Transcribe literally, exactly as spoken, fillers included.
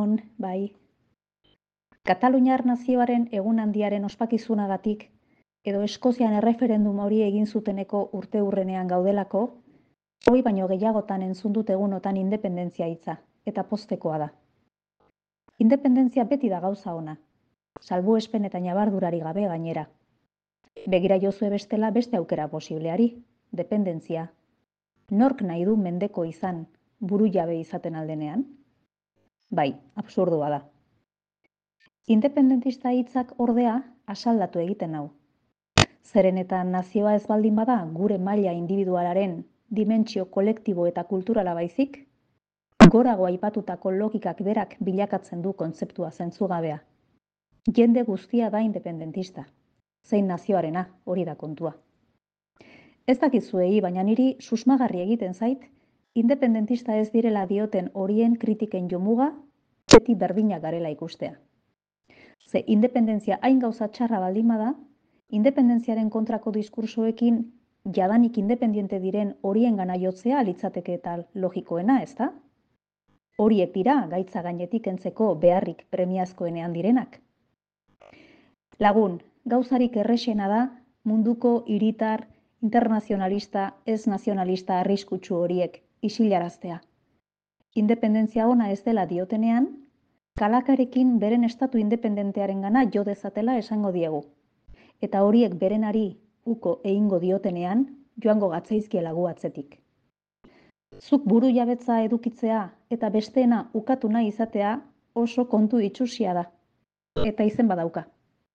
Egunon, bai. Kataluniar nazioaren egun handiaren ospakizunagatik edo Eskozian erreferendum hori egin zuteneko urte hurrenean gaudelako, hoi baino gehiagotan entzun dut egunotan independentzia hitza, eta poztekoa da. Independentzia beti da gauza ona, salbuespen eta ñabardurari gabe gainera. Begira jozue bestela beste aukera posibleari, dependentzia. Nork nahi du mendeko izan, buru jabe izaten aldenean? Bai, absurdua da. Independentista hitzak ordea asaldatu egiten nau. Zeren eta nazioa ez baldin bada gure maila individualaren dimentsio kolektibo eta kulturala baizik, gorago aipatutako logikak berak bilakatzen du kontzeptua zentzugabea. Jende guztia da independentista. Zein nazioarena, hori da kontua. Ez dakizuei, baina niri susmagarri egiten zait, independentista ez direla dioten horien kritiken jomuga, beti berdinak garela ikustea. Ze independentzia hain gauza txarra baldin bada, independentziaren kontrako diskursoekin jadanik independiente diren horien gana jotzea litzateke eta logikoena, ezta? Horiek dira gaitza gainetik kentzeko beharrik premiazkoenean direnak. Lagun, gauzarik errexena da munduko hiritar, internazionalista, ez nazionalista arriskutsu horiek isilaraztea. Independentzia ona ez dela diotenean, kalakarekin beren estatu independentearen gana jo dezatela esango diegu. Eta horiek berenari uko egingo diotenean, joango gatzaizkiela gu atzetik. Zuk buru jabetza edukitzea eta besteena ukatu nahi izatea oso kontu itsusia da. Eta izen badauka.